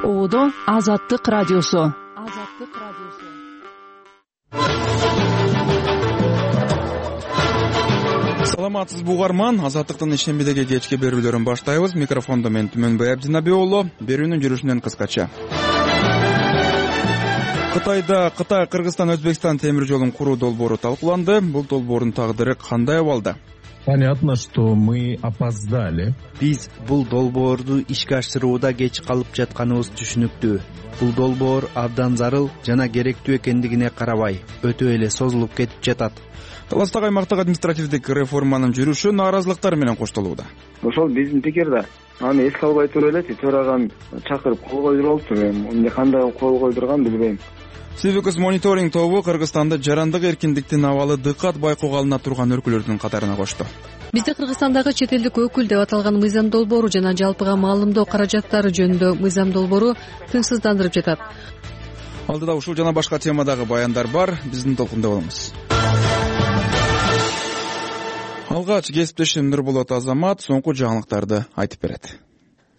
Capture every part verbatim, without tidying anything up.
Оодо Азаттык радиосу. Азаттык радиосу. Саламатсызбы угарман, Азаттыктын ишембидеги кечки берүүлөрүн баштайбыз. Микрофондо мен Түмөнбай Абдинабек уулу. Берүүнүн жүрүшүнөн кыскача. Кытайда Кытай, Кыргызстан, Өзбекстан темир жолун куруу долбоору талкууланды. Бул долбоордун тагдыры кандай абалда? Понятно, что мы опоздали. Биз бул долбоорду ишке ашырууда кеч калып жатканыбыз түшүнүктүү. Бул долбоор абдан зарыл жана керектүү экендигине карабай, өтө эле созулуп кетип жатат. Таластагы аймактагы административдик реформанын жүрүшү нааразылыктар менен коштолууда. Ошол биздин пикир да. Аны эске албай туруп эле төраган чакырып кол койдуруп алыптыр. Эмне кандай кол койдурган билбейм. Civicus мониторинг тобу Кыргызстанды жарандык эркиндиктин абалы дыкат байкоого алына турган өлкөлөрдүн катарына кошту. Бизде Кыргызстандагы чет элдик өкүл деп аталган мыйзам долбоору жана жалпыга маалымдоо каражаттары жөнүндө мыйзам долбоору тынчсыздандырып жатат. Алдыда ушул жана башка темадагы баяндар бар, биздин толкунда болуңуз. Алгач кесиптешим Нурболот Азамат соңку жаңылыктарды айтып берет.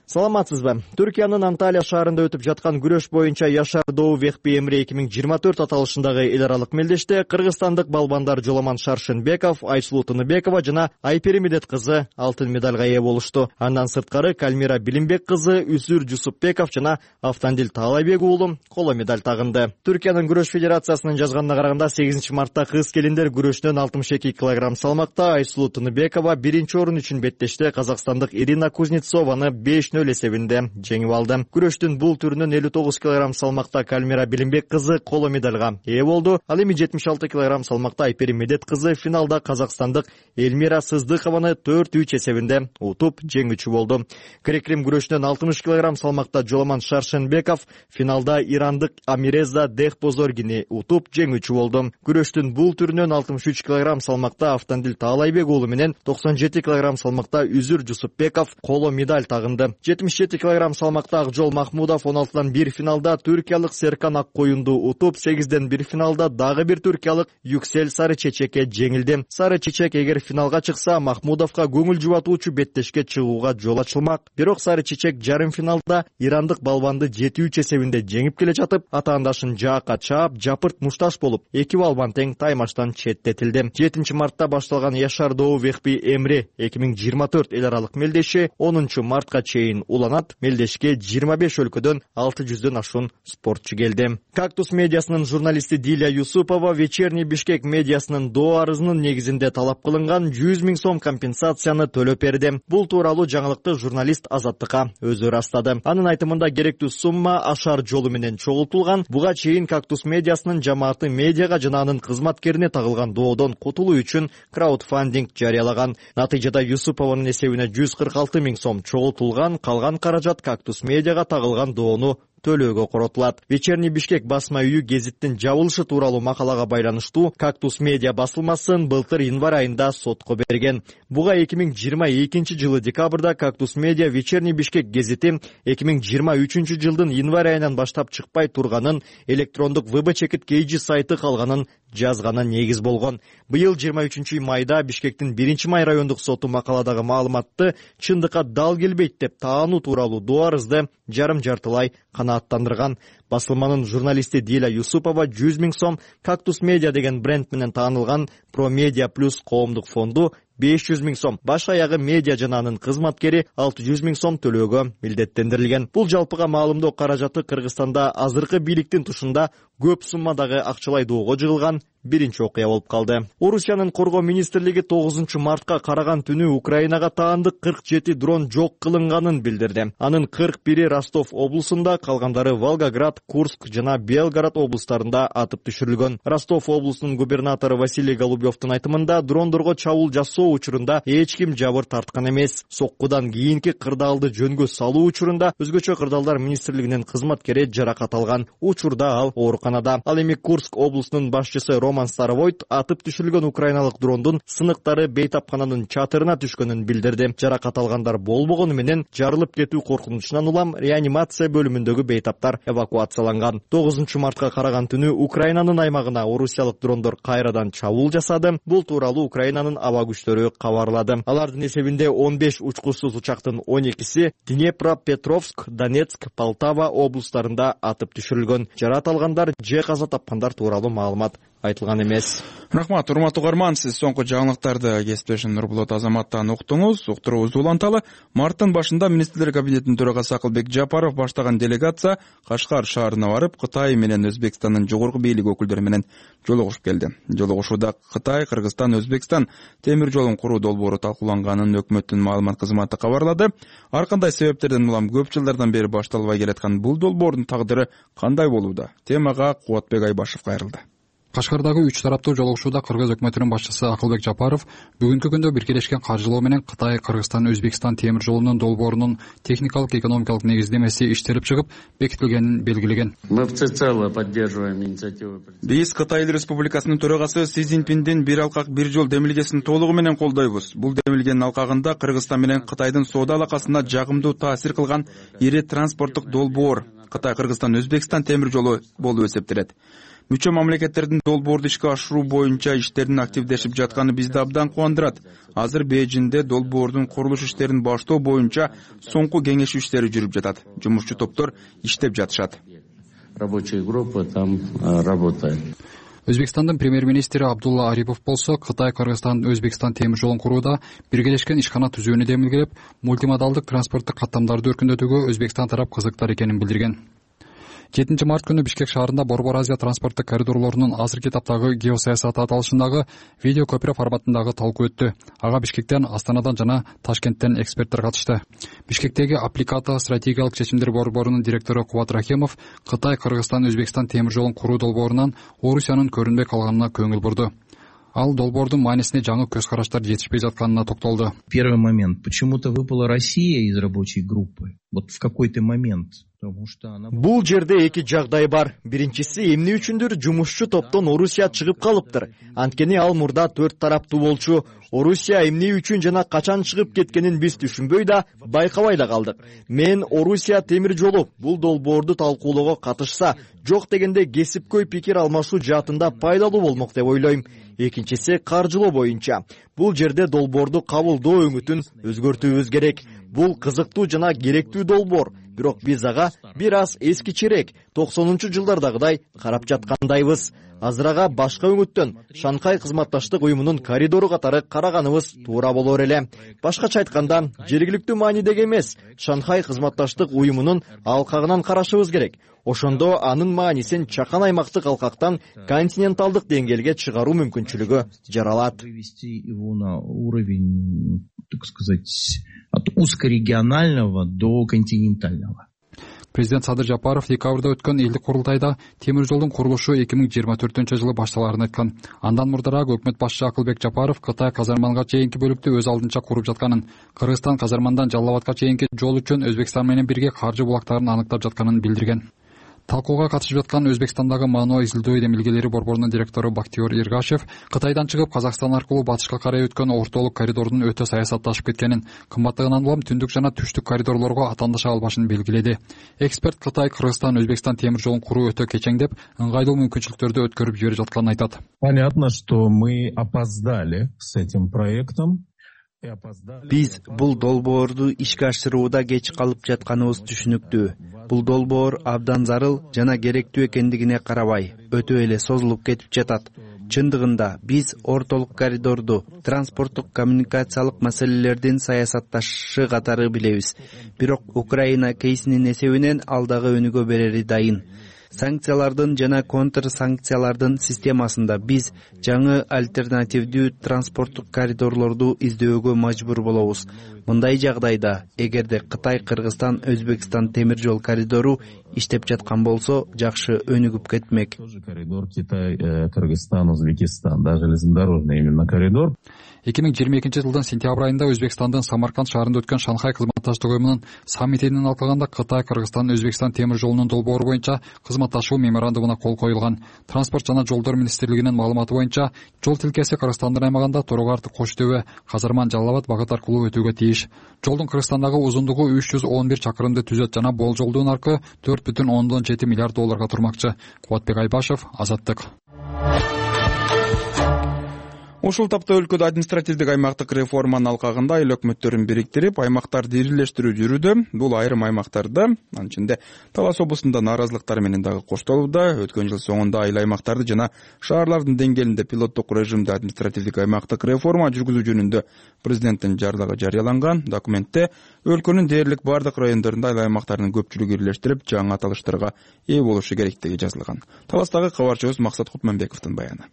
Саламатсызбы? Түркиянын Анталия шаарында өтүп жаткан күрөш боюнча Яшар Доо Вехби Эмре эки миң жыйырма төрт аталышындагы эл аралык мелдеште кыргызстандык балбандар Жоламан Шаршенбеков, Айсулуу Тыныбекова жана Айпери Медет кызы алтын медалга ээ болушту. Андан сырткары Кальмира Билимбек кызы, Үсүр Жусупбеков жана Автандил Таалайбек уулу коло медаль тагынды. Түркиянын күрөш федерациясынын жазганына караганда сегизинчи мартта кыз келиндер күрөштөн алтымыш эки килограмм салмакта Айсулуу Тыныбекова биринчи орун үчүн беттеште казакстандык Ирина Кузнецованы беш нөл эсебинде жеңип алды. Күрөштүн бул түрүнөн элүү тогуз килограмм салмакта Кальмира Билимбек кызы коло медальга ээ болду. Ал эми жетимиш алты килограмм салмакта Айпери Медет кызы финалда казакстандык Эльмира Сыздыкованы төрт үч эсебинде утуп жеңүүчү болду. Грек-рим күрөшүнөн алтымыш килограмм салмакта Жоламан Шаршенбеков финалда ирандык Амиреза Дехпозоргини утуп жеңүүчү болду. Күрөштүн бул түрүнөн алтымыш үч килограмм салмакта Автандил Таалайбек уулу менен токсон жети килограмм салмакта Үзүр Жусупбеков коло медаль тагынды. жетимиш жети килограмм салмакта Акжол Махмудов он алтыдан бир финалда түркиялык Серкан Аккоюнду утуп, сегизден бир финалда дагы бир түркиялык Юксель Сары Чечекке жеңилди. Сары Чечек эгер финалга чыкса, Махмудовго көңүл жубатуучу беттешке чыгууга жол ачылмак. Бирок Сары Чечек жарым финалда ирандык балбанды жети үч эсебинде жеңип келе жатып, атаандашын жаакка чаап, жапырт мушташ болуп, эки балбан тең таймаштан четтетилди. жетинчи мартта башталган Яшар Доо Вехби Эмре эки миң жыйырма төрт эл аралык мелдеши онунчу мартка чейин уланат. Мелдешке жыйырма беш өлкөдөн алты жүздөн ашуун спортчу келди. Кактус медиасынын журналисти Дилия Юсупова Вечерний Бишкек медиасынын доо арызынын негизинде талап кылынган жүз миң сом компенсацияны төлөп берди. Бул тууралуу жаңылыкты журналист Азаттыкка өзү ырастады. Анын айтымында керектүү сумма ашар жолу менен чогултулган. Буга чейин Кактус медиасынын жамааты медиага жана анын кызматкерине тагылган доодон кутулуу үчүн краудфандинг жарыялаган. Натыйжада Юсупованын эсебине жүз кырк алты миң сом чогултулган. Калган каражат Кактус медиага тагылган доону төлөөгө коротулат. Вечерний Бишкек басма үйү гезиттин жабылышы тууралуу макалага байланыштуу Кактус медиа басылмасын былтыр январь айында сотко берген. Буга эки миң жыйырма экинчи жылы декабрда Кактус медиа Вечерний Бишкек гезити эки миң жыйырма үчүнчү жылдын январь айынан баштап чыкпай турганын, электрондук вэ бэ чекит кейжи сайты калганын жазганы негиз болгон. Быйыл жыйырма үчүнчү майда Бишкектин биринчи май райондук соту макаладагы маалыматты чындыкка дал келбейт деп таануу тууралуу доо арызды жарым жартылай канааттандырган. Басылманын журналисти Дилия Юсупова жүз миң сом, Кактус медиа деген бренд менен таанылган Про Медиа Плюс коомдук фонду беш жүз миң сом, баш аягы медиа жана анын кызматкери алты жүз миң сом төлөөгө милдеттендирилген. Бул жалпыга маалымдоо каражаты Кыргызстанда азыркы бийликтин тушунда көп суммадагы акчалай доого жыгылган биринчи окуя болуп калды. Орусиянын коргоо министрлиги тогузунчу мартка караган түнү Украинага таандык кырк жети дрон жок кылынганын билдирди. Анын кырк бири Ростов облусунда, калгандары Волгоград, Курск жана Белгород облустарында атып түшүрүлгөн. Ростов облусунун губернатору Василий Голубевдун айтымында дрондорго чабуул жасоо учурунда эч ким жабыр тарткан эмес. Соккудан кийинки кырдаалды жөнгө салуу учурунда өзгөчө кырдаалдар министрлигинин кызматкери жаракат алган. Учурда ал ооруканада ооруканада. Ал эми Курск облусунун башчысы Роман Старовойт атып түшүрүлгөн украиналык дрондун сыныктары бейтапкананын чатырына түшкөнүн билдирди. Жаракат алгандар болбогону менен жарылып кетүү коркунучунан улам реанимация бөлүмүндөгү бейтаптар эвакуацияланган. тогузунчу мартка караган түнү Украинанын аймагына орусиялык дрондор кайрадан чабуул жасады. Бул тууралуу Украинанын аба күчтөрү кабарлады. Алардын эсебинде он беш учкучсуз учактын он экиси Днепропетровск, Донецк, Полтава облустарында атып түшүрүлгөн. Жаракат алгандар же каза тапкандар тууралуу маалымат айтылган эмес. Рахмат, урматтуу угарман, сиз соңку жаңылыктарды кесиптешим Нурбулат Азаматтан уктуңуз. Уктуруубузду уланталы. Марттын башында министрлер кабинетинин төрагасы Акылбек Жапаров баштаган делегация Кашкар шаарына барып, Кытай менен Өзбекстандын жогорку бийлик өкүлдөрү менен жолугушуп келди. Жолугушууда Кытай, Кыргызстан, Өзбекстан темир жолун куруу долбоору талкууланганын өкмөттүн маалымат кызматы кабарлады. Ар кандай себептерден улам көп жылдардан бери башталбай келаткан бул долбоордун тагдыры кандай болууда? Темага Кубатбек Айбашев кайрылды. Кашкардагы үч тараптуу жолугушууда Кыргыз өкмөтүнүн башчысы Акылбек Жапаров бүгүнкү күндө биргелешкен каржылоо менен Кытай, Кыргызстан, Өзбекстан темир жолунун долбоорунун техникалык экономикалык негиздемеси иштелип чыгып, бекитилгенин белгилеген. Мы всецело поддерживаем инициативу. Биз Кытай Эл Республикасынын төрагасы Си Цзиньпиндин бир алкак бир жол демилгесин толугу менен колдойбуз. Бул демилгенин алкагында Кыргызстан менен Кытайдын соода алакасына жагымдуу таасир кылган ири транспорттук долбоор Кытай, Кыргызстан, Өзбекстан темир жолу болуп эсептелет. Мүчө мамлекеттердин долбоорду ишке ашыруу боюнча иштердин активдешип жатканы бизди абдан кубандырат. Азыр Бейжиңде долбоордун курулуш иштерин баштоо боюнча соңку кеңешүү иштери жүрүп жатат. Жумушчу топтор иштеп жатышат. Рабочая группа там работает. Өзбекстандын премьер-министри Абдулла Арипов болсо Кытай, Кыргызстан, Өзбекстан темир жолун курууда биргелешкен ишкана түзүүнү демилгелеп, мультимодалдык транспорттук каттамдарды өркүндөтүүгө Өзбекстан тарап кызыктар экенин билдирген. жетинчи март күнү Бишкек шаарында Борбор Азия транспорттук коридорлорунун азыркы этаптагы геосаясаты аталышындагы видео көпүрө форматындагы талкуу өттү. Ага Бишкектен, Астанадан жана Ташкенттен эксперттер катышты. Бишкектеги Аппликата стратегиялык чечимдер борборунун директору Кубат Рахимов Кытай, Кыргызстан, Өзбекстан темир жолун куруу долбоорунан Орусиянын көрүнбөй калганына көңүл бурду. Ал долбоордун маанисине жаңы көз караштар жетишпей жатканына токтолду. Первый момент. Почему-то выпала Россия из рабочей группы. Вот в какой-то момент. Бул жерде эки жагдай бар. Биринчиси, эмне үчүндүр жумушчу топтон Орусия чыгып калыптыр. Анткени ал мурда төрт тараптуу болчу. Орусия эмне үчүн жана качан чыгып кеткенин биз түшүнбөй да, байкабай да калдык. Мен Орусия темир жолу бул долбоорду талкуулоого катышса, жок дегенде кесипкөй пикир алмашуу жаатында пайдалуу болмок деп ойлойм. Экинчиси, каржылоо боюнча. Бул жерде долбоорду кабылдоо өңүтүн өзгөртүүбүз керек. Бул кызыктуу жана керектүү долбоор. Бирок биз ага бир аз эскичерээк токсонунчу жылдардагыдай карап жаткандайбыз. Азыр ага башка өңүттөн Шанхай кызматташтык уюмунун коридору катары караганыбыз туура болор эле. Башкача айтканда, жергиликтүү маанидеги эмес, Шанхай кызматташтык уюмунун алкагынан карашыбыз керек. Ошондо анын маанисин чакан аймактык алкактан континенталдык деңгээлге чыгаруу мүмкүнчүлүгү жаралат. Так сказать, от узкорегионального до континентального. Президент Садыр Жапаров декабрда өткөн элдик курултайда темир жолдун курулушу эки миң жыйырма төртүнчү жылы башталарын айткан. Андан мурдараак өкмөт башчысы Акылбек Жапаров Кытай Казарманга чейинки бөлүктү өз алдынча куруп жатканын, Кыргызстан Казармандан Жалал Абадка чейинки жол үчүн Өзбекстан менен бирге каржы булактарын аныктап жатканын билдирген. Талкууга катышып жаткан Өзбекстандагы Мааноо изилдөө демилгелери борборунун директору Бактиёр Иргашев Кытайдан чыгып Казакстан аркылуу батышка карай өткөн ортолук коридордун өтө саясатташып кеткенин, кымбаттыгынан улам түндүк жана түштүк коридорлорго атаандаша албашын белгиледи. Эксперт Кытай, Кыргызстан, Өзбекстан темир жолун куруу өтө кечеңдеп, ыңгайлуу мүмкүнчүлүктөрдү өткөрүп жибере жатканын айтат. Понятно, что мы опоздали с этим проектом. Биз бул долбоорду ишке ашырууда кеч калып жатканыбыз түшүнүктүү. Бул долбоор абдан зарыл жана керектүү экендигине карабай, өтө эле созулуп кетип жатат. Чындыгында биз ортолук коридорду транспорттук коммуникациялык маселелердин саясатташы катары билебиз. Бирок Украина кейсинин эсебинен алдагы өнүгө берери дайын. Санкциялардын жана контр санкциялардын системасында биз жаңы альтернативдүү транспорттук коридорлорду издөөгө мажбур болобуз. мындай жагдайда эгерде Кытай, Кыргызстан, Өзбекстан темир жол коридору иштеп жаткан болсо, жакшы өнүгүп кетмек. Коридор Китай, Кыргызстан, Өзбекстан, да, железнодорожный именно коридор. эки миң жыйырма экинчи жылдын сентябрь айында Өзбекстандын Самарканд шаарында өткөн Шанхай кызматташтык уюмунун саммитинин алкагында Кытай, Кыргызстан, Өзбекстан темир жолунун долбоору боюнча кызматташуу меморандумуна кол коюлган. Транспорт жана жолдор министрлигинин маалыматы боюнча, жол тилкеси Кыргызстандын аймагында Торого арты Кош Төбө, Казарман, Жалал Абад багыт аркылуу өтүүгө тийиш. Жолдун Кыргызстандагы узундугу үч жүз он бир чакырымды түзөт жана болжолдуу наркы төрт бүтүн ондон жети миллиард долларга турмакчы. Кубатбек Айбашев, Азаттык. Ушул тапта өлкөдө административдик аймактык реформанын алкагында айыл өкмөттөрүн бириктирип, аймактарды ирилештирүү жүрүүдө. Бул айрым аймактарда, анын ичинде Талас облусунда нааразылыктар менен дагы коштолууда. Өткөн жыл соңунда айыл аймактарды жана шаарлардын деңгээлинде пилоттук режимде административдик аймактык реформа жүргүзүү жөнүндө президенттин жарлыгы жарыяланган. Документте өлкөнүн дээрлик бардык райондорунда айыл аймактарынын көпчүлүгү ирилештирип, жаңы аталыштарга ээ болушу керектиги жазылган. Таластагы кабарчыбыз Максат Кутманбековдун баяны.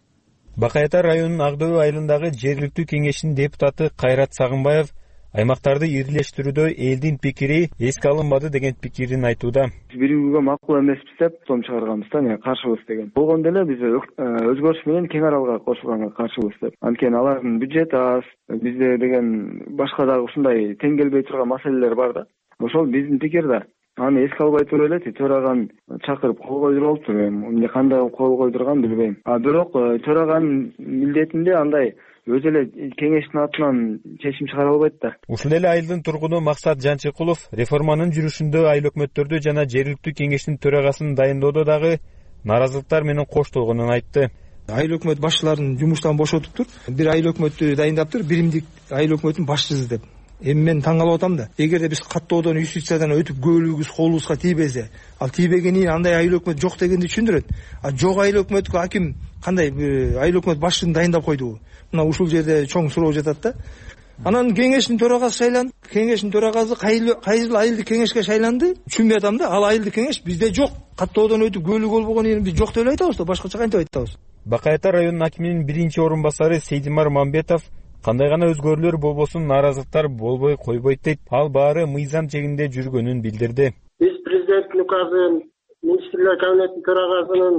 Бакай Ата районунун Ак Дөбө айылындагы жергиликтүү кеңештин депутаты Кайрат Сагынбаев аймактарды ирилештирүүдө элдин пикири эске алынбады деген пикирин айтууда. Биригүүгө макул эмеспиз деп том чыгарганбыз да, мен каршыбыз деген. Болгондо эле биз өзгөрүш менен кең аралга кошулганга каршыбыз деп. Анткени алардын бюджети аз, бизде деген башка дагы ушундай тең келбей турган маселелер бар да. Ошол биздин пикир да. Аны эске албай туруп эле төраганы чакырып кол койдуруп алыптыр. Эмне кандай кол койдурган билбейм. А бирок төраганын милдетинде андай өзү эле кеңештин атынан чечим чыгара албайт да. Ушул эле айылдын тургуну Максат Жанчыкулов реформанын жүрүшүндө айыл өкмөттөрдү жана жергиликтүү кеңештин төрагасын дайындоодо дагы нааразылыктар менен коштолгонун айтты. Айыл өкмөт башчыларын жумуштан бошотуптур. Бир айыл өкмөттү дайындаптыр, биримдик айыл өкмөтүнүн башчысы деп. Эми мен таң калып атам да. Эгерде биз каттоодон, юстициядан өтүп көөлүгүбүз колубузга тийбесе, ал тийбегенин андай айыл өкмөт жок дегенди түшүндүрөт. А жок айыл өкмөткө аким кандай айыл өкмөт башчысын дайындап койдубу? Мына ушул жерде чоң суроо жатат да. Анан кеңештин төрагасы шайланды. Кеңештин төрагасы кайыл айылдык кеңешке шайланды. Түшүнбөй атам да. Ал айылдык кеңеш бизде жок. Каттоодон өтүп көөлүк болбогон жерин биз жок деп эле айтабыз да, башкача кантип айтабыз? Бакай Ата районунун акиминин биринчи орун басары Сейдимар Мамбетов кандай гана өзгөрүүлөр болбосун нааразылыктар болбой койбойт дейт. Ал баары мыйзам чегинде жүргөнүн билдирди. Биз президенттин указын, министрлер кабинетинин төрагасынын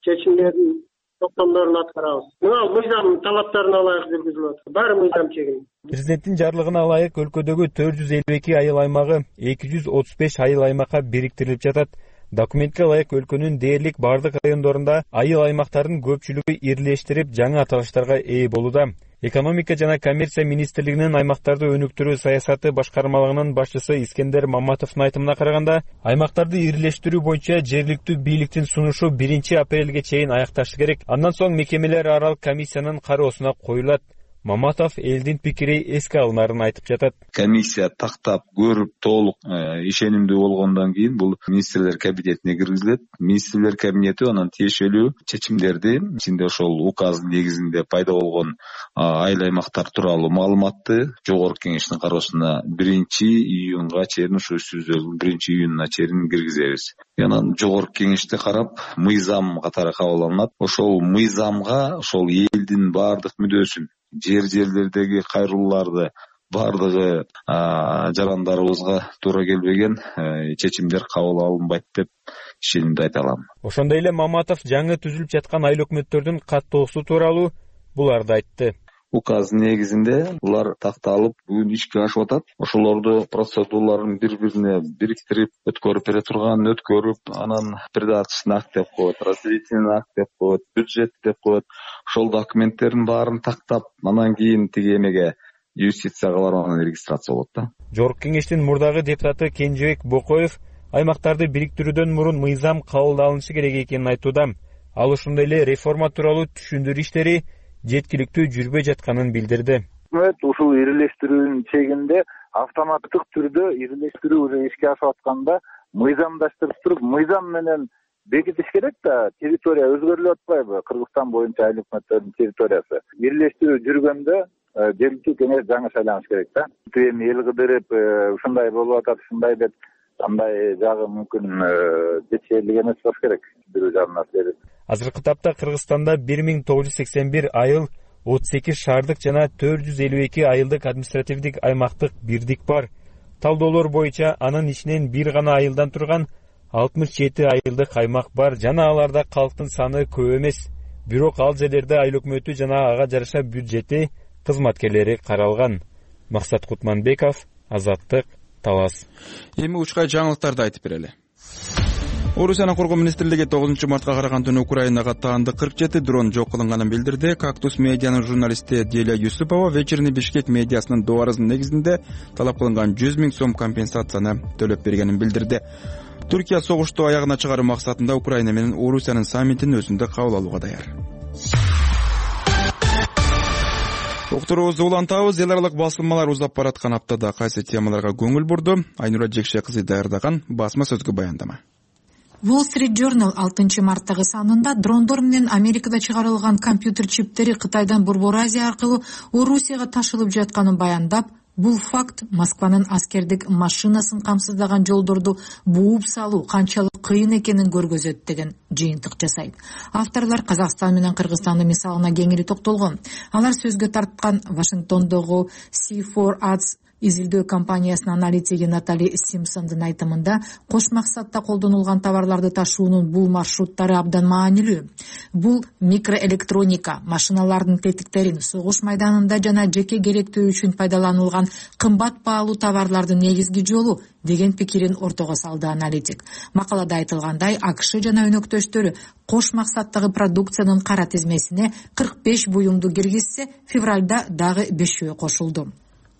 чечимдерин, токтомдорун аткарабыз. Мына мыйзам талаптарына ылайык жүргүзүлүп атат. Баары мыйзам чегинде. Президенттин жарлыгына ылайык өлкөдөгү төрт жүз элүү эки айыл аймагы эки жүз отуз беш айыл аймакка бириктирилип жатат. Документке ылайык өлкөнүн дээрлик бардык райондорунда айыл аймактардын көпчүлүгү ирилештирип, жаңы аталыштарга ээ болууда. Экономика жана коммерция министрлигинин аймактарды өнүктүрүү саясаты башкармалыгынын башчысы Искендер Маматовдун айтымына караганда, аймактарды ирилештирүү боюнча жергиликтүү бийликтин сунушу биринчи апрелге чейин аякташы керек. Андан соң мекемелер аралык комиссиянын кароосуна коюлат. Маматов элдин пикири эске алынарын айтып жатат. Комиссия тактап, көрүп, толук ишенимдүү болгондон кийин бул министрлер кабинетине киргизилет. Министрлер кабинети анан тиешелүү чечимдерди, ичинде ошол указ негизинде пайда болгон айыл аймактар тууралуу маалыматты жогорку кеңештин кароосуна биринчи июнга чейин, ушу сөздөрдүн биринчи июнуна чейин киргизебиз. Анан жогорку кеңеште карап, мыйзам катары кабыл алынат. Ошол мыйзамга ошол элдин бардык мүдөөсүн, жер жерлердеги кайрылууларды бардыгы жарандарыбызга туура келбеген чечимдер кабыл алынбайт деп ишенимди айта алам. Ошондой эле Маматов жаңы түзүлүп жаткан айыл өкмөттөрдүн каттоосу тууралуу буларды айтты. Указ негизинде улар такталып, бүгүн ишке ашып атат. Ошолорду процедураларын бири-бирине бириктирип, өткөрүп бере турган, өткөрүп, анан придаточный акт деп коет, разделительный акт деп коет, бюджет деп коет. Ошол документтердин баарын тактап, анан кийин тиги эмеге юстицияга барып анан регистрация болот да. Жогорку кеңештин мурдагы депутаты Кенжебек Бокоев аймактарды бириктирүүдөн мурун мыйзам кабылданышы керек экенин айтууда. Ал ошондой эле реформа тууралуу түшүндүрүү иштери жеткиликтүү жүрбөй жатканын билдирди. Ушул ирилештирүүнүн чегинде автоматтык түрдө ирилештирүү уже ишке ашып атканда мыйзамдаштырып туруп, мыйзам менен бекитиш керек да, территория өзгөрүлүп атпайбы? Кыргызстан боюнча айыл өкмөттөрүнүн территориясы. Ирилештирүү жүргөндө жергиликтүү кеңеш жаңы шайланыш керек да. Эми эл кыдырып, ушундай болуп атат, ушундай деп андай жагы мүмкүн жетишерлик эмес болуш керек. Бирөө жагынан. Азыркы тапта Кыргызстанда бир миң тогуз жүз сексен бир айыл отуз эки шаардык жана төрт жүз элүү эки айылдык административдик аймактык бирдик бар. Талдоолор боюнча анын ичинен бир гана айылдан турган алтымыш жети айылдык аймак бар жана аларда калктын саны көп эмес. Бирок ал жерлерде айыл өкмөтү жана ага жараша бюджети кызматкерлери каралган. Максат Кутманбеков, Азаттык, Талас. Эми учкай жаңылыктарды айтып берели. Орусиянын коргоо министрлиги тогузунчу мартка караган түнү Украинага таанды кырк жети дрон жок кылынганын билдирди. Кактус медианын журналисти Деля Юсупова вечерний Бишкек медиасынын добарынын негизинде талап кылынган жүз миң сом компенсацияны төлөп бергенин билдирди. Түркия согушту аягына чыгаруу максатында Украина менен Орусиянын саммитин өзүндө кабыл алууга даяр. Уктуруубузду улантабыз. Эл аралык басылмалар узап бараткан аптада кайсы темаларга көңүл бурду? Айнура Жекше кызы даярдаган басма сөзгө баяндама. Wall Street Journal алтынчы марттагы санында дрондор менен Америкада чыгарылган компьютер чиптери Кытайдан Борбор Азия аркылуу Орусияга ташылып жатканын баяндап, бул факт Москванын аскердик машинасын камсыздаган жолдорду бууп салуу канчалык кыйын экенин көргөзөт деген жыйынтык жасайт. Авторлор Казакстан менен Кыргызстандын мисалына кеңири токтолгон. Алар сөзгө тарткан Вашингтондогу си фор Ads изилдөө компаниясынын аналитиги Натали Симпсондун айтымында, кош максатта колдонулган товарларды ташуунун бул маршруттары абдан маанилүү. Бул микроэлектроника, машиналардын тетиктерин согуш майданында жана жеке керектүү үчүн пайдаланылган кымбат баалуу товарлардын негизги жолу деген пикирин ортого салды аналитик. Макалада айтылгандай, АКШ жана өнөктөштөрү кош максаттагы продукциянын кара тизмесине кырк беш буюмду киргизсе, февралда дагы бешөө кошулду.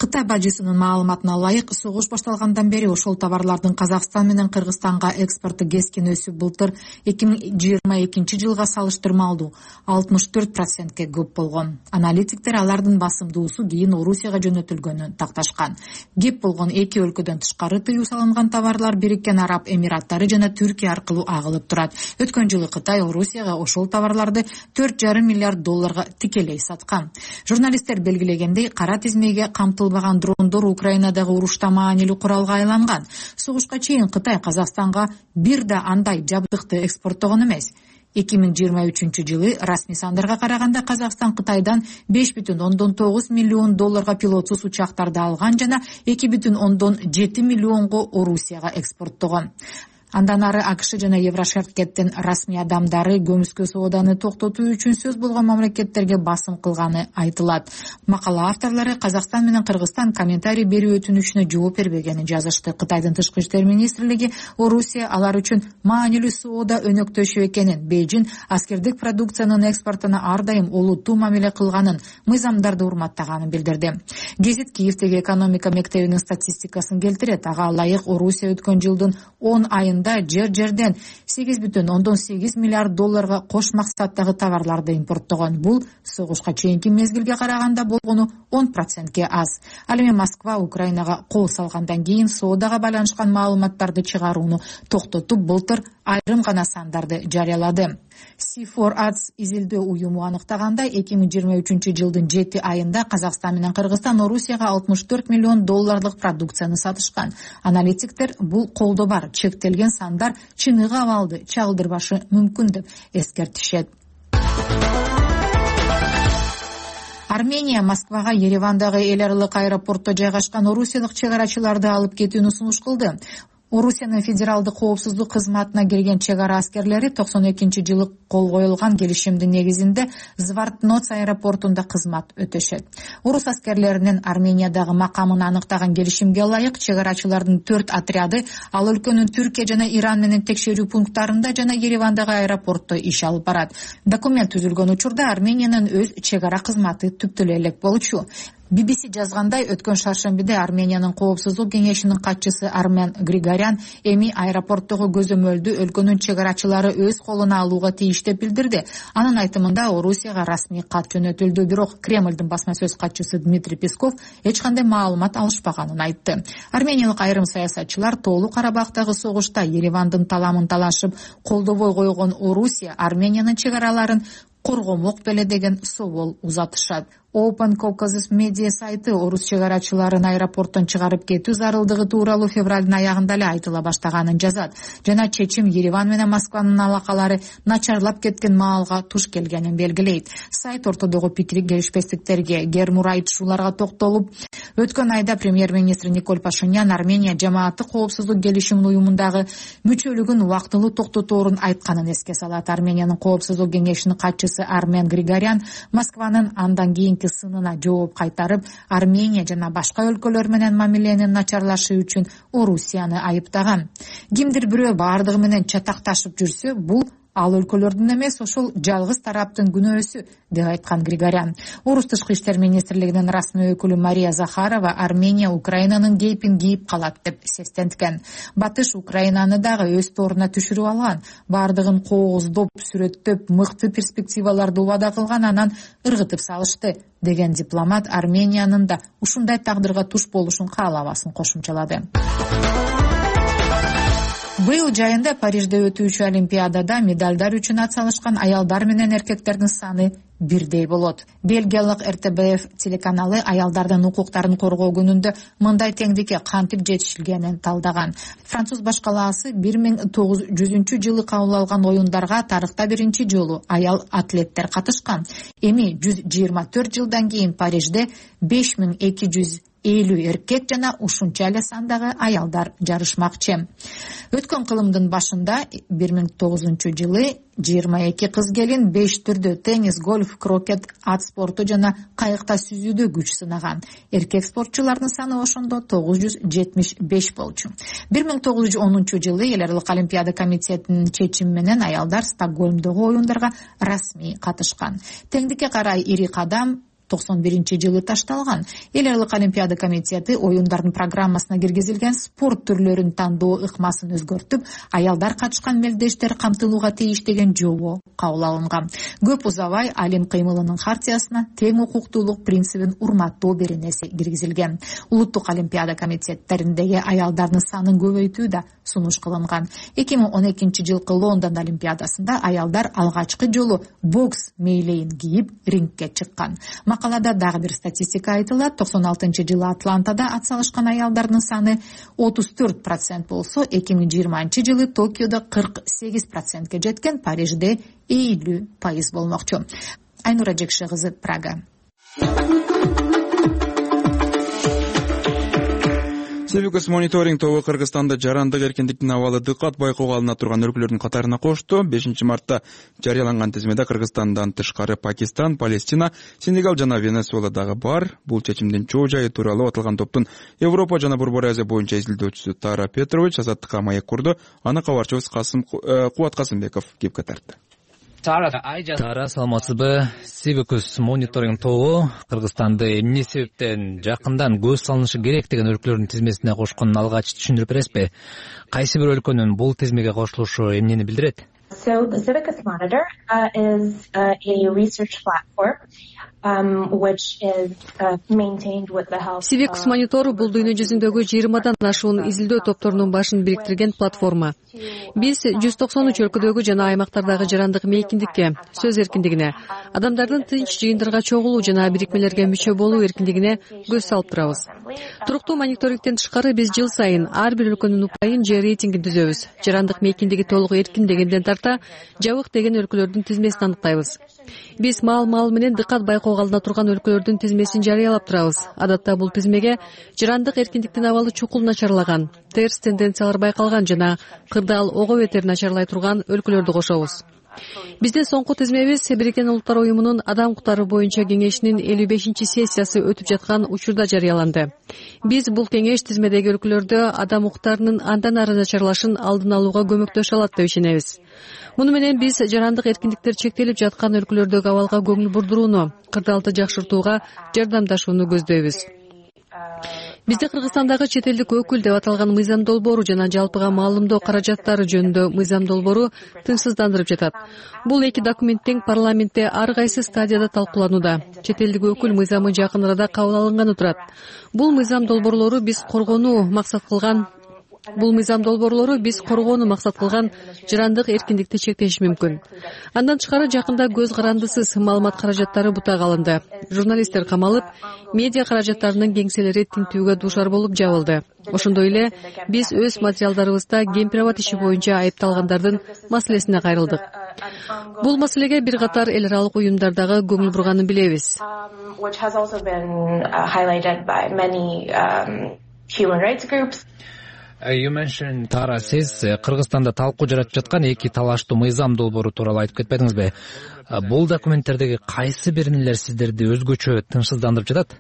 Кытай бажысынын маалыматына ылайык, согуш башталгандан бери ошол товарлардын Казакстан менен Кыргызстанга экспорту кескин өсүп, былтыр эки миң жыйырма экинчи жылга салыштырмалуу алтымыш төрт процентке көп болгон. Аналитиктер алардын басымдуусу кийин Орусияга жөнөтүлгөнүн такташкан. Кеп болгон эки өлкөдөн тышкары тыюу салынган товарлар Бириккен Араб Эмираттары жана Түркия аркылуу агылып турат. Өткөн жылы Кытай Орусияга ошол товарларды төрт жарым миллиард долларга тикелей саткан. Журналисттер белгилегендей, кара тизмеге камтылган дрондор Украинадагы урушта маанилүү куралга айланган. Согушка чейин Кытай Казакстанга бир да андай жабдыкты экспорттогон эмес. эки миң жыйырма үчүнчү жылы расмий сандарга караганда Казакстан Кытайдан беш бүтүн ондон тогуз миллион долларга пилотсуз учактарды алган жана эки бүтүн ондон жети миллионго Орусияга экспорттогон. Андан ары АКШ жана Еврошеркеттин расмий адамдары көмүскө сооданы токтотуу үчүн сөз болгон мамлекеттерге басым кылганы айтылат. Макала авторлору Казакстан менен Кыргызстан комментарий берүү өтүнүчүнө жооп бербегенин жазышты. Кытайдын тышкы иштер министрлиги Орусия алар үчүн маанилүү соода өнөктөшү экенин, Бейжин аскердик продукциянын экспортуна ар дайым олуттуу мамиле кылганын, мыйзамдарды урматтаганын билдирди. Гезит Киевдеги экономика мектебинин статистикасын келтирет. Ага ылайык Орусия өткөн жылдын он айында жер-жерден сегиз бүтүн ондон сегиз миллиард долларга кош максаттагы товарларды импорттогон. Бул согушка чейинки мезгилге караганда болгону он процентке аз. Ал эми Москва Украинага кол салгандан кийин соодага байланышкан маалыматтарды чыгарууну токтотуп, былтыр айрым гана сандарды жарыялады. си фор Ads изилдөө уюму аныктагандай, эки миң жыйырма үчүнчү жылдын жети айында Казакстан менен Кыргызстан Орусияга алтымыш төрт миллион долларлык продукцияны сатышкан. Аналитиктер бул колдо бар, чектелген сандар чыныгы абалды чагылдырбашы мүмкүн деп эскертишет. Армения Москвага Еревандагы эл аралык аэропортто жайгашкан орусиялык чек арачыларды алып кетүүнү сунуш кылды. Орусиянын федералдык коопсуздук кызматына кирген чек ара аскерлери токсон экинчи жылы кол коюлган келишимдин негизинде Звартноц аэропортунда кызмат өтөшөт. Орус аскерлеринин Армениядагы макамын аныктаган келишимге ылайык чек арачылардын төрт отряды ал өлкөнүн Түркия жана Иран менен текшерүү пункттарында жана Еревандагы аэропортто иш алып барат. Документ түзүлгөн учурда Армениянын өз чек ара кызматы түптөлө элек болчу. би би си жазгандай, өткөн шаршембиде Армениянын коопсуздук кеңешинин катчысы Армен Григорян эми аэропорттогу көзөмөлдү өлкөнүн чек арачылары өз колуна алууга тийиш деп билдирди. Анын айтымында Орусияга расмий кат жөнөтүлдү, бирок Кремлдин басма сөз катчысы Дмитрий Песков эч кандай маалымат алышпаганын айтты. Армениялык айрым саясатчылар Тоолуу Карабактагы согушта Еревандын таламын талашып колдобой койгон Орусия Армениянын чек араларын коргомок беле деген собол узатышат. Open Caucasus Media сайты орус чек арачыларын аэропорттон чыгарып кетүү зарылдыгы тууралуу февралдын аягында эле айтыла баштаганын жазат жана чечим Ереван менен Москванын алакалары начарлап кеткен маалга туш келгенин белгилейт. Сайт ортодогу пикирик келишпестиктерге, гермур айтышууларга токтолуп, өткөн айда премьер-министр Николь Пашинян Армения жамааттык коопсуздук келишим уюмундагы мүчөлүгүн убактылуу токтоторун айтканын эске салат. Армениянын коопсуздук кеңешинин катчысы Армен Григорян Москванын андан кийинки сынына жооп кайтарып, Армения жана башка өлкөлөр менен мамиленин начарлашы үчүн Орусияны айыптаган. Кимдир бирөө бардыгы менен чатакташып жүрсө, бул ал өлкөлөрдүн эмес, ошол жалгыз тараптын күнөөсү, деп айткан Григорян. Орус тышкы иштер министрлигинин расмий өкүлү Мария Захарова Армения Украинанын кейпин кийип калат деп сестенткен. Батыш Украинаны дагы өз торуна түшүрүп алган, бардыгын кооздоп, сүрөттөп, мыкты перспективаларды убада кылган, анан ыргытып салышты, деген дипломат Армениянын да ушундай тагдырга туш болушун каалабасын кошумчалады. Быйыл жайында Парижде өтүүчү Олимпиадада медалдар үчүн ат салышкан аялдар менен эркектердин саны бирдей болот. Бельгиялык эр тэ бэ эф телеканалы аялдардын укуктарын коргоо күнүндө мындай теңдикке кантип жетишилгенин талдаган. Француз башкалаасы бир миң тогуз жүзүнчү жылы кабыл алган оюндарга тарыхта биринчи жолу аял атлеттер катышкан. Эми жүз жыйырма төрт жылдан кийин Парижде беш миң эки жүз элүү эркек жана ушунча эле сандагы аялдар жарышмакчы. Өткөн кылымдын башында бир миң тогузунчу жылы жыйырма эки кыз келин беш түрдө теннис, гольф, крокет, ат спорту жана кайыкта сүзүүдө күч сынаган. Эркек спортчулардын саны ошондо тогуз жүз жетимиш беш болчу. бир миң тогуз жүз онунчу жылы эл аралык олимпиада комитетинин чечими менен аялдар Стокгольмдогу оюндарга расмий катышкан. Теңдикке карай ири кадам токсон биринчи жылы ташталган. Эл аралык олимпиада комитети оюндардын программасына киргизилген спорт түрлөрүн тандоо ыкмасын өзгөртүп, аялдар катышкан мелдештер камтылууга тийиш деген жобо кабыл алынган. Көп узабай Алим кыймылынын хартиясына тең укуктуулук принцибин урматтоо беренеси киргизилген. Улуттук олимпиада комитеттериндеги аялдардын санын көбөйтүү да сунуш кылынган. эки миң он экинчи жылкы Лондон олимпиадасында аялдар алгачкы жолу бокс мейлейин кийип рингке чыккан. Макалада дагы бир статистика айтылат. токсон алтынчы жылы Атлантада ат салышкан аялдардын саны отуз төрт процент болсо, эки миң жыйырманчы жылы Токиодо кырк сегиз процентке жеткен, Парижде элүү пайыз болмокчу. Айнура Жекши кызы, Прага. Civics мониторинг тобу Кыргызстанда жарандык эркиндиктин абалы дыккат байкоого алына турган өлкөлөрдүн катарына кошту. бешинчи мартта жарыяланган тизмеде Кыргызстандан тышкары Пакистан, Палестина, Сенегал жана Венесуэла дагы бар. Бул чечимдин чоо жайы тууралуу аталган топтун Европа жана Борбор Азия боюнча изилдөөчүсү Тара Петрович Азаттыкка маек курду. Аны кабарчыбыз Касым Кубат Касымбеков кепке тартты. Тара, саламатсызбы? Civics мониторинг тобу Кыргызстанды эмне себептен жакындан көз салынышы керек деген өлкөлөрдүн тизмесине кошконун алгач түшүндүрүп бересизби? Кайсы бир өлкөнүн бул тизмеге кошулушу эмнени билдирет? So the Civics Monitor uh, is uh, a research platform um, which is uh, maintained with the help. Civics Monitor бул дүйнө жүзүндөгү жыйырмадан ашуун изилдөө топторунун башын бириктирген платформа. Биз жүз токсон үч өлкөдөгү жана аймактардагы жарандык мейкиндикке, сөз эркиндигине, адамдардын тынч жыйындарга чогулуу жана бирикмелерге мүчө болуу эркиндигине көз салып турабыз. Туруктуу мониторингден тышкары биз жыл сайын ар бир өлкөнүн упайын же рейтингин түзөбүз. Жарандык мейкиндиги толук эркин дегенден тарта жабык деген өлкөлөрдүн тизмесин аныктайбыз. Биз маал-маал менен дыккат байкоого алына турган өлкөлөрдүн тизмесин жарыялап турабыз. Адатта бул тизмеге жарандык эркиндиктин абалы чукул начарлаган, терс тенденциялар байкалган жана кырдаал ого бетер начарлай турган өлкөлөрдү кошобуз. Биздин соңку тизмебиз Бириккен Улуттар уюмунун адам укуктары боюнча кеңешинин элүү бешинчи сессиясы өтүп жаткан учурда жарыяланды. Биз бул кеңеш тизмедеги өлкөлөрдө адам укуктарынын андан ары начарлашын алдын алууга көмөктөшө алат деп ишенебиз. Муну менен биз жарандык эркиндиктер чектелип жаткан өлкөлөрдөгү абалга көңүл бурдурууну, кырдаалды жакшыртууга жардамдашууну көздөйбүз. Бизде Кыргызстандагы чет элдик өкүл деп аталган мыйзам долбоору жана жалпыга маалымдоо каражаттары жөнүндө мыйзам долбоору тынчсыздандырып жатат. Бул эки документ тең парламентте ар кайсы стадияда талкууланууда. Чет элдик өкүл мыйзамы жакын арада кабыл алынганы турат. Бул мыйзам долбоорлору биз коргонуу максат кылган Бул мыйзам долбоорлору биз коргоону максат кылган жырандык эркиндикти чектеши мүмкүн. Андан тышкары жакында көз карандысыз маалымат каражаттары бутага алынды. Журналисттер камалып, медиа каражаттарынын кеңселери тинтүүгө дуушар болуп жабылды. Ошондой эле биз өз материалдарыбызда гемпирабад иши боюнча айыпталгандардын маселесине кайрылдык. Бул маселеге бир катар эл аралык уюмдар дагы көңүл бурганын билебиз. Тара, сиз Кыргызстанда талкуу жаратып жаткан эки талаштуу мыйзам долбоору тууралуу айтып кетпедиңизби? Бул документтердеги кайсы биринелер сиздерди өзгөчө тынчсыздандырып жатат?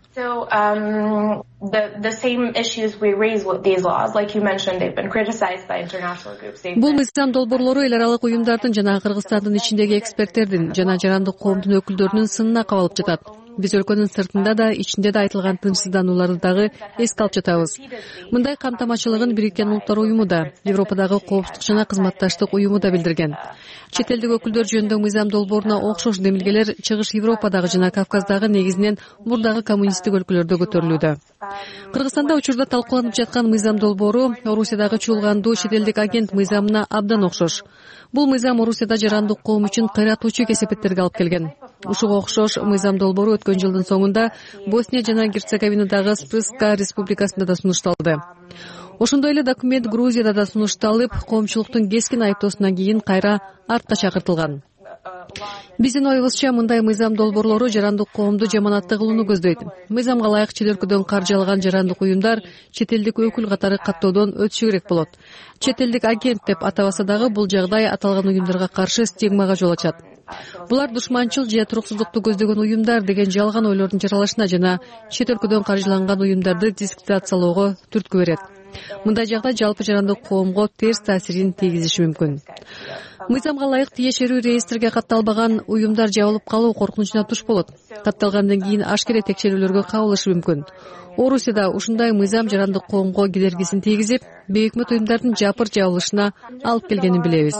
Бул мыйзам долбоорлору эл аралык уюмдардын жана Кыргызстандын ичиндеги эксперттердин жана жарандык коомдун өкүлдөрүнүн сынына кабалып жатат. Биз өлкөнүн сыртында да, ичинде да айтылган тынчсызданууларды дагы эске алып жатабыз. Мындай камтамачылыгын Бириккен Улуттар уюму да, Европадагы коопсуздук жана кызматташтык уюму да билдирген. Чет элдик өкүлдөр жөнүндө мыйзам долбооруна окшош демилгелер Чыгыш Европадагы жана Кавказдагы негизинен мурдагы коммунисттик өлкөлөрдө көтөрүлүүдө. Кыргызстанда учурда талкууланып жаткан мыйзам долбоору Орусиядагы чуулгандуу чет элдик агент мыйзамына абдан окшош. Бул мыйзам Орусияда жарандык коом үчүн кыйратуучу кесепеттерге алып келген. Ушуга окшош мыйзам долбоору өткөн жылдын соңунда Босния жана Герцеговинадагы Спрска республикасында да сунушталды. Ошондой эле документ Грузияда да сунушталып, коомчулуктун кескин айыптоосунан кийин кайра артка чакыртылган. Биздин оюбузча мындай мыйзам долбоорлору жарандык коомду жаманатты кылууну көздөйт. Мыйзамга ылайык чет өлкөдөн каржы алган жарандык уюмдар чет элдик өкүл катары каттоодон өтүшү керек болот. Чет элдик агент деп атабаса дагы бул жагдай аталган уюмдарга каршы стигмага жол ачат. Булар душманчыл же туруксуздукту көздөгөн уюмдар деген жалган ойлордун жаралышына жана чет өлкөдөн каржыланган уюмдарды дискредитациялоого түрткү берет. Мындай жагдай жалпы жарандык коомго терс таасирин тийгизиши мүмкүн. Мыйзамга ылайык тиешелүү реестрге катталбаган уюмдар жабылып калуу коркунучуна туш болот. Катталгандан кийин ашкере текшерүүлөргө кабылышы мүмкүн. Орусияда ушундай мыйзам жарандык коомго кедергисин тийгизип, бейөкмөт уюмдардын жапыр жабылышына алып келгенин билебиз.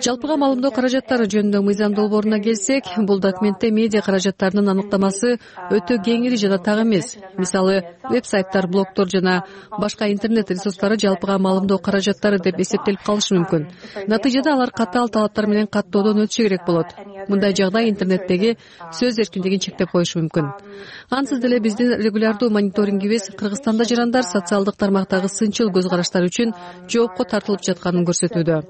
Жалпыга маалымдоо каражаттары жөнүндө мыйзам долбооруна келсек, бул документте медиа каражаттарынын аныктамасы өтө кеңири жана так эмес. Мисалы, веб-сайттар, блогдор жана башка интернет ресурстары жалпыга маалымдоо каражаттары деп эсептелип калышы мүмкүн. Натыйжада алар катаал талаптар менен каттоодон өтүшү керек болот. Мындай жагдай интернеттеги сөз эркиндигин чектеп коюшу мүмкүн. Ансыз деле биздин регулярдуу мониторингибиз Кыргызстанда жарандар социалдык тармактагы сынчыл көз караштар үчүн жоопко тартылып жатканын көрсөтүүдө.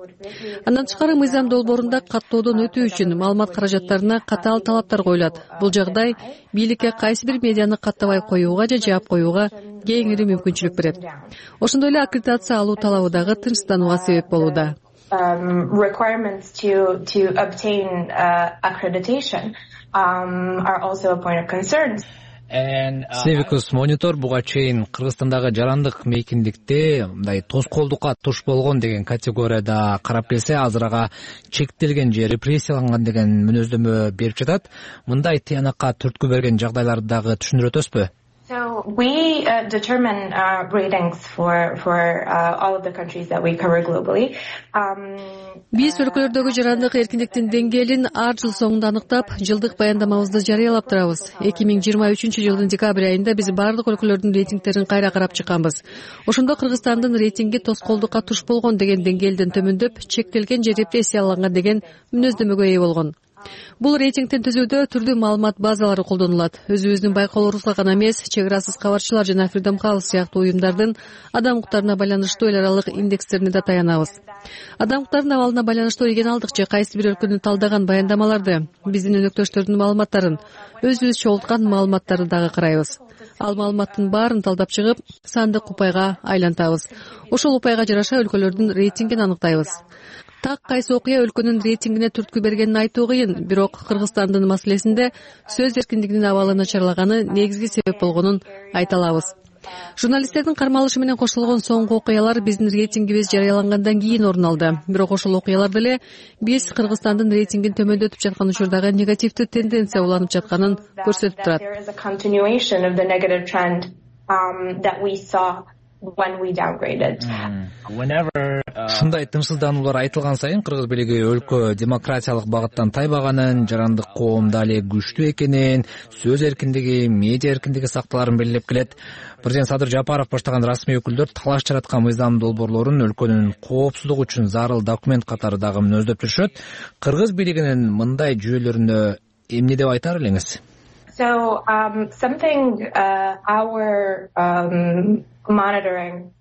Андан тышкары мыйзам долбоорунда каттоодон өтүү үчүн маалымат каражаттарына катаал талаптар коюлат. Бул жагдай бийликке кайсы бир медианы каттабай коюуга же жаап коюуга кеңири мүмкүнчүлүк берет. Ошондой эле аккредитация алуу талабы дагы тынчсызданууга себеп болууда. Um, requirements to to obtain uh, accreditation um, are also a point of concern. Civicus Monitor буга чейин Кыргызстандагы жарандык мейкиндикти мындай тоскоолдукка туш болгон деген категорияда карап келсе, азыр ага чектелген же репрессияланган деген мүнөздөмө берип жатат. Мындай тыянакка түрткү берген жагдайларды дагы түшүндүрүп өтөсүзбү? So we uh, determine uh, ratings for for uh, all of the countries that we cover globally. Um, Биз өлкөлөрдөгү жарандык эркиндиктин деңгээлин ар жыл соңунда аныктап, жылдык баяндамабызды жарыялап турабыз. эки миң жыйырма үчүнчү жылдын декабрь айында биз бардык өлкөлөрдүн рейтингтерин кайра карап чыкканбыз. Ошондо Кыргызстандын рейтинги тоскоолдукка туш болгон деген деңгээлден төмөндөп, чектелген же репрессияланган деген мүнөздөмөгө ээ болгон. Бул рейтингтин түзүүдө түрдүү маалымат базалары колдонулат. Өзүбүздүн байкоолорубузга гана эмес, чек арасыз кабарчылар жана Freedom House сыяктуу уюмдардын адам укуктарына байланыштуу эл аралык индекстерине да таянабыз. Адам укуктарынын абалына байланыштуу регионалдык же кайсы бир өлкөнү талдаган баяндамаларды, биздин өнөктөштөрдүн маалыматтарын, өзүбүз чогулткан маалыматтарды дагы карайбыз. Ал маалыматтын баарын талдап чыгып, сандык упайга айлантабыз. Ошол упайга жараша өлкөлөрдүн рейтингин аныктайбыз. Так кайсы окуя өлкөнүн рейтингине түрткү бергенин айтуу кыйын, бирок Кыргызстандын маселесинде сөз эркиндигинин абалы начарлаганы негизги себеп болгонун айта алабыз. Журналисттердин кармалышы менен коштолгон соңку окуялар биздин рейтингибиз жарыялангандан кийин орун алды. Бирок ошол окуялар деле биз Кыргызстандын рейтингин төмөндөтүп жаткан учурдагы негативдүү тенденция уланып жатканын көрсөтүп турат. When we downgraded. Mm. Whenever uh, ушундай тынчсыздануулар айтылган сайын кыргыз бийлиги өлкө демократиялык багыттан тайбаганын, жарандык коом дали күчтүү экенин, сөз эркиндиги, медиа эркиндиги сакталарын белгилеп келет. Президент Садыр Жапаров баштаган расмий өкүлдөр талаш жараткан мыйзам долбоорлорун өлкөнүн коопсуздугу үчүн зарыл документ катары дагы мүнөздөп жүрүшөт. Кыргыз бийлигинин мындай жүйөлөрүнө эмне деп айтар элеңиз? So um, something uh, our um, monitoring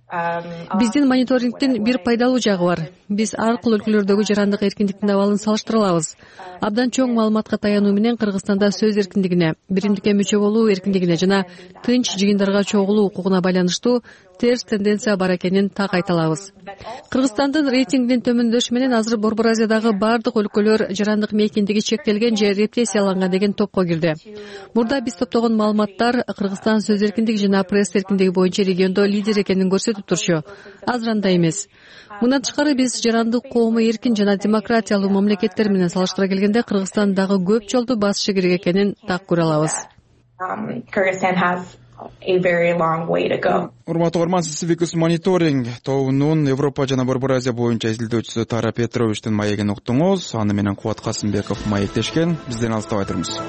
Биздин мониторингдин бир пайдалуу жагы бар. Биз ар кыл өлкөлөрдөгү жарандык эркиндиктин абалын салыштыра алабыз. Абдан чоң маалыматка таянуу менен Кыргызстанда сөз эркиндигине, биримдикке мүчө болуу эркиндигине жана тынч жыйындарга чогулуу укугуна байланыштуу терс тенденция бар экенин так айта алабыз. Кыргызстандын рейтингинин төмөндөшү менен азыр Борбор Азиядагы бардык өлкөлөр жарандык мейкиндиги чектелген же репрессияланган деген топко кирди. Мурда биз топтогон маалыматтар Кыргызстан сөз эркиндиги жана пресс эркиндиги боюнча региондо лидер экенин көрсөтүп турчу. Азыр андай эмес. Мындан тышкары биз жарандык коому эркин жана демократиялуу мамлекеттер менен салыштыра келгенде Кыргызстан дагы көп жолду басышы керек экенин так көрө алабыз. Урматтуу угарман, сиз Civicus Monitoring тобунун Европа жана Борбор Азия боюнча изилдөөчүсү Тара Петровичтин маегин уктуңуз. Аны менен Кубат Касымбеков маектешкен. Бизден алыстабай турыңуз.